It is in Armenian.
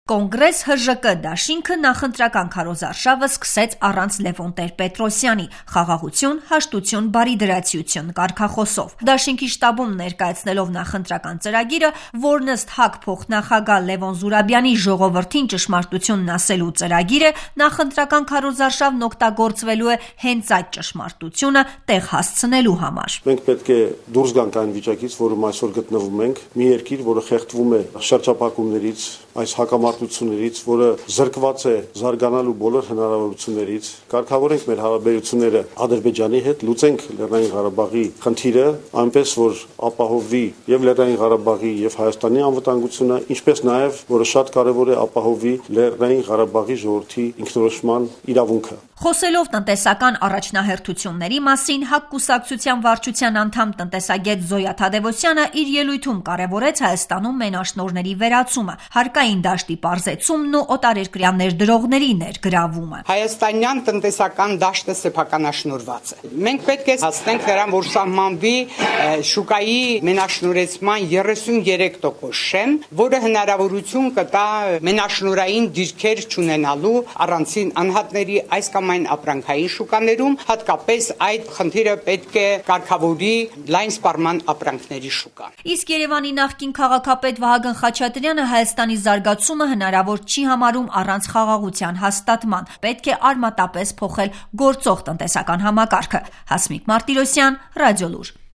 Կոնգրես ՀԺԿ դաշինքը նախընտրական քարոզարշավը սկսեց առանց Լևոն Տեր-Պետրոսյանի խաղաղություն, հաշտություն, բարիդրացիություն կարգախոսով։ Դաշինքի շտաբում ներկայացնելով նախընտրական ծրագիրը, որն ըստ ՀԱԿ փոխնախագահ Լևոն Զուրաբյանի ժողովրդին ճշմարտությունն ասելու ծրագիր է, նախընտրական քարոզարշավն օգտագործվելու է հենց այդ ճշմարտությունը տեղ հասցնելու համար։ Մենք պետք է դուրս գանք այն վիճակից, որում այսօր գտնվում ենք, մի երկիր, որը խեղդվում է շրջափակումներից, այս հակամարտություններից, որը զրկված է զարգանալու բոլոր հնարավորություններից, կարգավորենք մեր հարաբերությունները Ադրբեջանի հետ, լուծենք Լեռնային Ղարաբաղի խնդիրը, այնպես որ ապահովվի եւ Լեռնային Ղարաբաղի եւ Հայաստանի անվտանգությունը, ինչպես նաեւ, որը շատ կարեւոր է, ապահովվի Լեռնային Ղարաբաղի ժողովրդի ինքնորոշման իրավունքը։ Խոսելով տնտեսական առաջնահերթությունների մասին, ՀԱԿ կուսակցության վարչության անդամ տնտեսագետ Զոյա Թադևոսյանը իր ելույթում կարևորեց Հայաստանում մենաշնորհների վերացումը, հարկային դաշտի պարզեցումն ու օտարերկրյա ներդրողների ներգրավումը։ Հայաստանյան տնտեսական դաշտը սեփականաշնորհված է։ Մենք պետք է հասնենք նրան, որ սահմանվի շուկայի մենաշնորհեցման 33% շեմ, որը հնարավորություն կտա մենաշնորհային դիրքեր չունենալու առանցին անհատների այս կամ այն ապրանքային շուկաներում, հատկապես այդ խնդիրը պետք է կարգավորի լայն սպառման ապրանքների շուկան։ Իսկ Երևանի նախկին քաղաքապետ Վահագն Խաչատրյանը Հայաստանի զարգացումը հնարավոր չի համարում առանց խաղաղության հաստատման։ Պետք է արմատապես փոխել գործող տնտեսական համակարգը։ Հասմիկ Մարտիրոսյան, Ռադիոլուր։